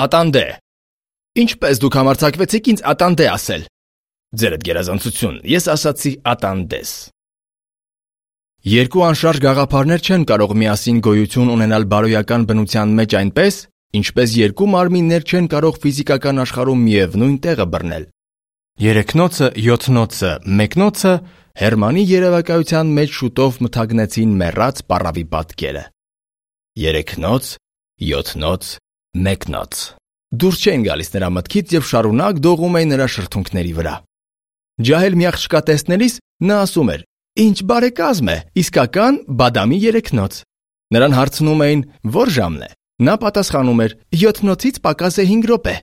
Ատանդե։ Ինչպես դուք համարձակվեցիք ինձ ատանդե ասել։ Ձերդ գերազանցություն, ես ասացի ատանդես։ Երկու անշարժ գաղափարներ չեն կարող միասին գոյություն ունենալ բարոյական բնության մեջ այնպես, ինչպես երկու մարմիններ չեն կարող ֆիզիկական աշխարհում միևնույն տեղը բռնել։ Երեքնոցը, յոթնոցը, մեկնոցը Հերմանի երևակայության մեջ շուտով մթագնեցին մեռած պառավի պատկերը։ Երեքնոց, յոթնոց, մեկնոց։ Դուրս չէին գալիս նրա մտքից եւ շարունակ դողում էին նրա շրթունքների վրա։ Ջահել մի աղջկա տեսնելիս նա ասում էր. «Ինչ բարեկազմ է, իսկական բադամի երեքնոց»։ Նրան հարցնում էին, որ ժամն է։ Նա պատասխանում էր. 7-նոցից պակաս է 5 րոպե։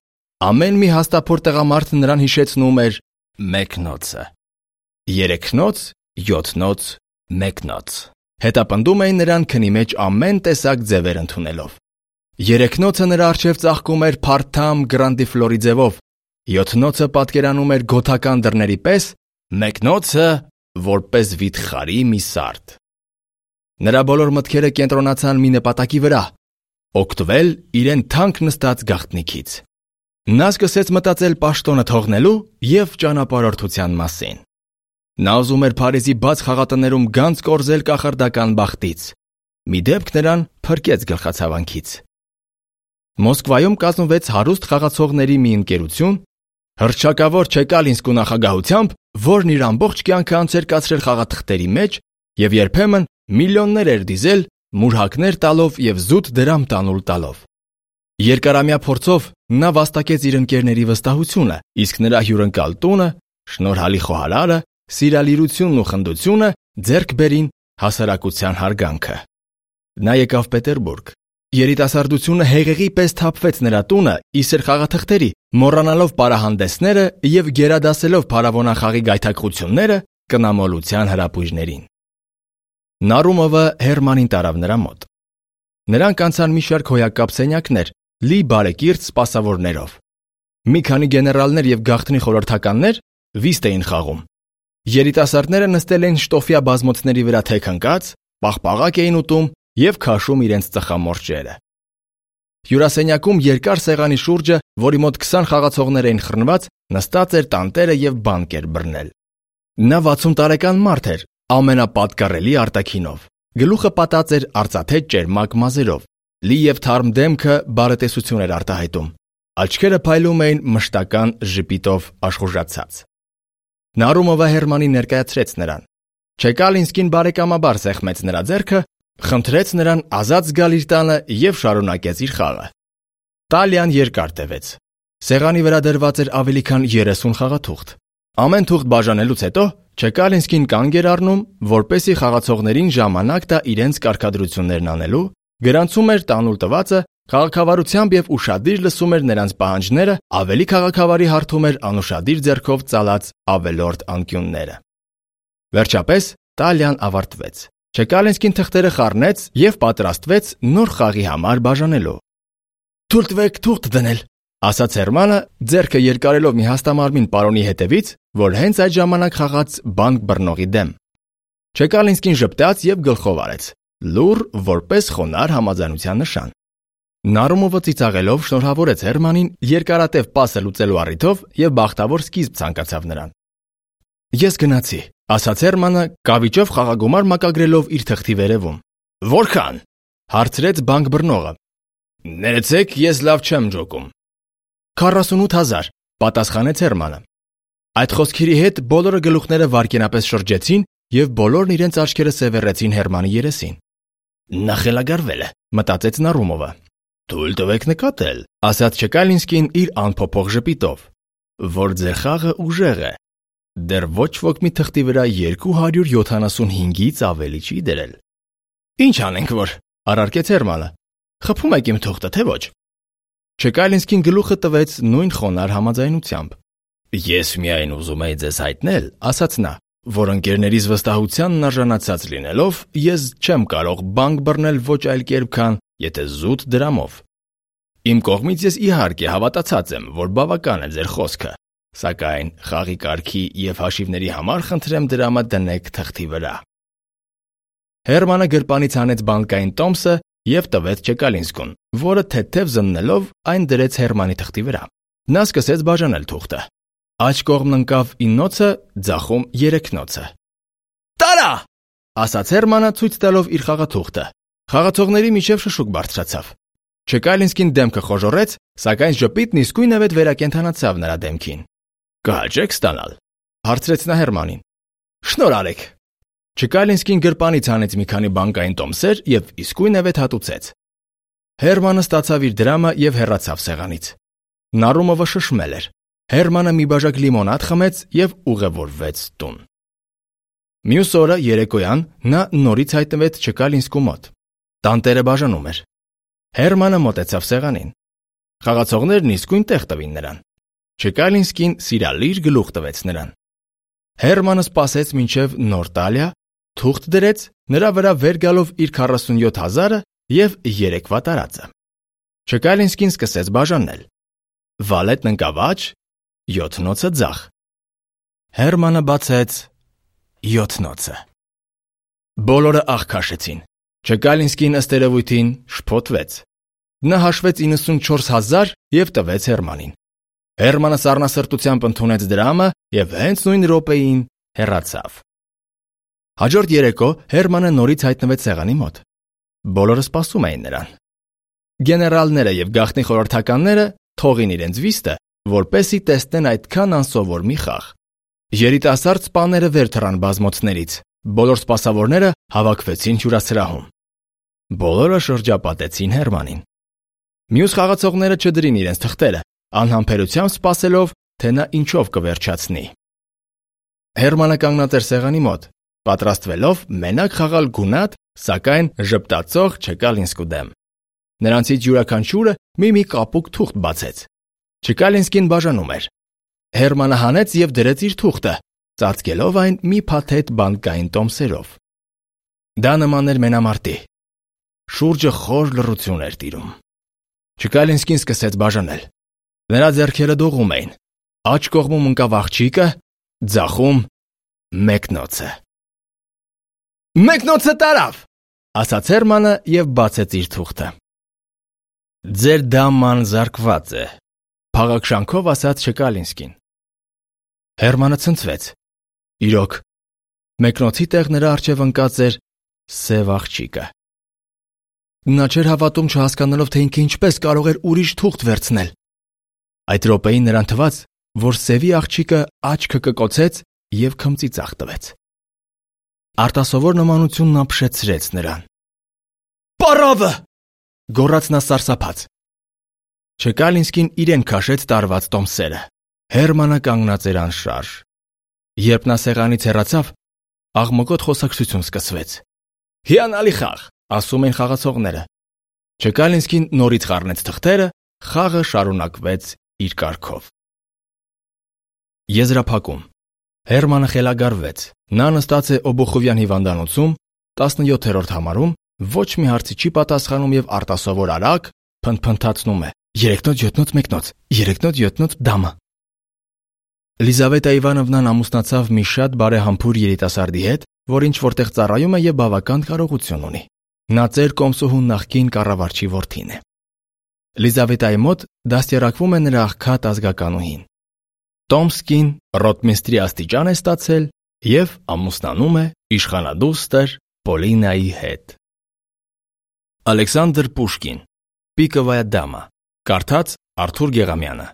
Ամեն մի հաստափոր տղամարդ նրան հիշեցնում էր մեկնոցը։ Երեքնոց, յոթնոց, մեկնոց։ Հետապնդում էին նրան քնի մեջ ամեն տեսակ ձևեր ընդունելով։ Երեքնոցը նրա առջև ծաղկում էր փարթամ գրանդիֆլորի ձևով, յոթնոցը պատկերանում էր գոթական դռների պես, մեկնոցը որպես վիթխարի մի սարդ։ Նրա բոլոր մտքերը կենտրոնացան մի նպատակի վրա՝ օգտվել իրեն թանկ նստած գաղտնիքից։ Նա սկսեց մտածել պաշտոնը թողնելու և ճանապարհորդության մասին։ Նա ուզում էր Փարիզի բաց խաղատներում գանձ կորզել կախարդական բախտից։ Մի դեպք նրան փրկեց գլխացավանքից։ Մոսկվայում կազմվեց հարուստ խաղացողների մի ընկերություն, հռչակավոր Չեկալինսկու նախագահությամբ, որն իր ամբողջ կյանքը անց էր կացրել խաղաթղթերի մեջ և երբեմն միլիոններ էր դիզել մուրհակներ տալով և զուտ դրամ տանուլ տալով։ Երկարամյա փորձով նա վաստակեց իր ընկերների վստահությունը, իսկ նրա հյուրընկալ տունը, շնորհալի խոհարարը, սիրալիրությունն ու խնդությունը ձեռք բերին հասարակության հարգանքը։ Նա եկավ Պետերբուրգ։ Երիտասարդությունը հեղեղի պես թափվեց նրա տունը իսր խաղաթղթերի, մոռանալով պարահանդեսները և գերադասելով փարավոնախաղի գայթակղությունները կնամոլության հրապույժներին։ Նարումովը Հերմանին տարավ նրա մոտ։ Նրանք անցան մի շարք հոյակապ սենյակներ, լի բարեկիրթ սպասավորներով։ Մի քանի գեներալներ և գաղտնի խորհրդականներ վիստ էին խաղում։ Երիտասարդները նստել էին շտոֆյա բազմոցների վրա թեք ընկած, պաղպաղակ էին ուտում և քաշում իրենց ծխամորճերը։ Հյուրասենյակում երկար սեղանի շուրջը, որի մոտ 20 խաղացողներ էին խռնված, նստած էր տանտերը և բանկ էր բռնել։ Նա 60 տարեկան մարդ էր, ամենապատկառելի արտաքինով։ Գլուխը պատած էր արծաթե ճերմակ մազերով, լի և թարմ դեմքը բարետեսություն էր արտահայտում։ Աչքերը փայլում էին մշտական ժպիտով աշխուժացած։ Նարումովը Հերմանին ներկայացրեց նրան։ Չեկալինսկին բարեկամաբար սեղմեց նրա ձեռքը, խնդրեց նրան ազատ զգալ իր տանը և շարունակեց իր խաղը։ Տալիան երկար տևեց։ Սեղանի վրա դրված էր ավելի քան 30 խաղաթուղթ։ Ամեն թուղթ բաժանելուց հետո Չեկալինսկին կանգ էր առնում, որպեսզի խաղացողներին ժամանակ տա իրենց կարգադրություններն անելու, գրանցում էր տանուլ տվածը, քաղաքավարությամբ և ուշադիր լսում էր նրանց պահանջները, ավելի քաղաքավարի հարթում էր անուշադիր ձեռքով ծալած ավելորդ անկյունները։ Վերջապես Տալիան ավարտվեց։ Չեկալինսկին թղթերը խառնեց և պատրաստվեց նոր խաղի համար բաժանելու։ «Թույլ տվեք թուղթ դնել», ասաց Հերմանը, ձեռքը երկարելով մի հաստամարմին պարոնի հետևից, որ հենց այդ ժամանակ խաղաց բանկ բռնողի դեմ։ Չեկալինսկին ժպտաց և գլխով արեց, լուռ, որպես խոնարհ համաձայնության նշան։ Նարումովը ծիծաղելով շնորհավորեց Հերմանին երկարատև պասը լուծելու առիթով և բախտավոր սկիզբ ցանկացավ նրան։ «Ես գնացի», ասաց Հերմանը, կավիճով խաղագումար մակագրելով իր թղթի վերևում։ «Որքան»։ հարցրեց բանկ բռնողը։ «Ներեցեք, ես լավ չեմ ջոկում»։ 48,000, պատասխանեց Հերմանը։ Այդ խոսքերի հետ բոլորը գլուխները վայրկենապես շրջեցին և բոլորն իրենց աչքերը սևեռեցին Հերմանի երեսին։ Նա խելագարվել է, մտածեց Նարումովը։ «Թույլ տվեք նկատել», ասաց Չեկալինսկին իր անփոփոխ ժպիտով, «որ ձեր խաղը ուժեղ է։ Դեռ ոչ ոք մի թղթի վրա 275-ից ավելի չի դրել»։ «Ինչ անենք որ», առարկեց Հերմանը։ «Խփում եք իմ թուղթը, թե ոչ»։ Չեկալինսկին գլուխը տվեց նույն խոնարհ համաձայնությամբ։ «Ես միայն ուզում էի ձեզ հայտնել», ասաց նա, «որ ընկերներիս վստահությանն արժանացած լինելով, ես չեմ կարող բանկ բռնել ոչ այլ կերպ, քան եթե զուտ դրամով։ Իմ կողմից ես իհարկե հավատացած եմ, որ բավական է ձեր խոսքը, սակայն խաղի կարգի և հաշիվների համար խնդրեմ դրամը դնեք թղթի վրա»։ Հերմանը գրպանից հանեց բանկային տոմսը և տվեց Չեկալինսկուն, որը թեթև զննելով այն դրեց Հերմանի թղթի վրա։ Նա սկսեց բաժանել թուղթը։ Աջ կողմն ընկավ 9-ը, ձախում 3-ը։ «Տարա!» ասաց Հերմանը, ցույց տալով իր խաղաթուղթը։ Խաղացողների միջև շշուկ բարձրացավ։ Չեկալինսկին դեմքը խոժոռեց, սակայն ժպիտն իսկույնևեթ վերակենդանացավ նրա դեմքին։ «Կհաջե՞ք ստանալ», հարցրեց նա Հերմանին։ «Շնորհ արեք»։ Չեկալինսկին գրպանից հանեց մի քանի բանկային տոմսեր և իսկույնևեթ հատուցեց։ Հերմանը ստացավ իր դրամը և հեռացավ սեղանից։ Նարումովը շշմել էր։ Հերմանը մի բաժակ լիմոնադ խմեց և ուղևորվեց տուն։ Մյուս օրը երեկոյան նա նորից հայտնվեց Չեկալինսկու մոտ։ Տանտերը բաժանում էր։ Հերմանը մոտեցավ սեղանին։ Խաղացողներն իսկույն տեղ տվին նրան։ Չեկալինսկին սիրալիր գլուխ տվեց նրան։ Հերմանը սպասեց մինչև նոր տալիա, թուղթ դրեց, նրա վրա վեր գալով իր 47,000-ը և երեկվա տարածը։ Չեկալինսկին սկսեց բաժանել։ Վալետն ընկավ աջ, 7-ը ձախ։ Հերմանը բացեց 7-ը։ Բոլորը աղ քաշեցին։ Չեկալինսկին ըստ երևույթին շփոթվեց։ Նա հաշվեց 94,000 և տվեց Հերմանին։ Հերմանը սառնասրտությամբ ընդունեց դրամը և հենց նույն րոպեին հեռացավ։ Հաջորդ երեկո Հերմանը նորից հայտնվեց սեղանի մոտ։ Բոլորը սպասում էին նրան։ Գեներալները և գաղտնի խորհրդականները թողին իրենց վիստը, որպեսզի տեսնեն այդքան անսովոր մի խաղ։ Երիտասարդ սպաները վեր թռան բազմոցներից։ Բոլոր սպասավորները հավաքվեցին հյուրասրահում։ Բոլորը շրջապատեցին Հերմանին։ Մյուս խաղացողները չդրին իրենց թղթերը, անհամբերությամբ սպասելով, թե նա ինչով կվերջացնի։ Հերմանը կանգնած էր սեղանի մոտ, պատրաստվելով մենակ խաղալ գունատ, սակայն ժպտացող Չեկալինսկու դեմ։ Նրանցից յուրաքանչյուրը մի կապուկ թուղթ բացեց։ Չեկալինսկին բաժանում էր։ Հերմանը հանեց և դրեց իր թուղթը, ծածկելով այն մի փաթեթ բանկային տոմսերով։ Դա նման էր մենամարտի։ Շուրջը խոր լռություն էր տիրում։ Չեկալինսկին սկսեց բաժանել։ Նրա ձեռքերը դողում էին։ Աջ կողմում ընկավ աղջիկը, ձախում 1-ը։ «1-ը տարավ», ասաց Հերմանը և բացեց իր թուղթը։ «Ձեր դաման զարկված է», փաղաքշանքով ասաց Չեկալինսկին։ Հերմանը ցնցվեց։ Իրոք, 1-ի տեղ նրա առջև ընկած էր սև աղջիկը։ Նա չէր հավատում, չհասկանալով, թե ինքը ինչպես կարող էր ուրիշ թուղթ վերցնել։ Այդ րոպեին նրան թվաց, որ սևի աղջիկը աչքը կկոցեց և քմծի ծախ տվեց։ Արտասովոր նմանությունն ապշեցրեց նրան։ «Պարավը!» գոռաց նա սարսափած։ Չեկալինսկին իրեն քաշեց տարված տոմսերը։ Հերմանը կանգնած էր անշարժ։ Երբ նա սեղանից հեռացավ, աղմկոտ խոսակցություն սկսվեց։ «Հիանալի խաղ», ասում էին խաղացողները։ Չեկալինսկին նորից խառնեց թղթերը, խաղը շարունակվեց իր կարգով։ Եզրափակում։ Հերմանը խելագարվեց։ Նա նստած է Օբոխովյան հիվանդանոցում, 17-րդ համարում, ոչ մի հարցի չի պատասխանում և արտասովոր արագ փնթփնթացնում է. 3-7-1, 3-7 դամը։ Լիզավետա Իվանովնան ամուսնացավ մի շատ բարեհամբույր երիտասարդի հետ, որ ինչ-որտեղ ծառայում է և բավական կարողություն ունի։ Նա ծեր կոմսոհու նախկին կառավարչի որդին է։ Լիզավետայի մոտ դաստիարակվում է նրա աղքատ ազգականուհին։ Տոմսկին ռոտմիստրի աստիճան է ստացել և ամուսնանում է իշխանադուստր Պոլինայի հետ։ Ալեքսանդր Պուշկին, Պիկովայա դամա, կարդաց Արթուր Գեղամյանը։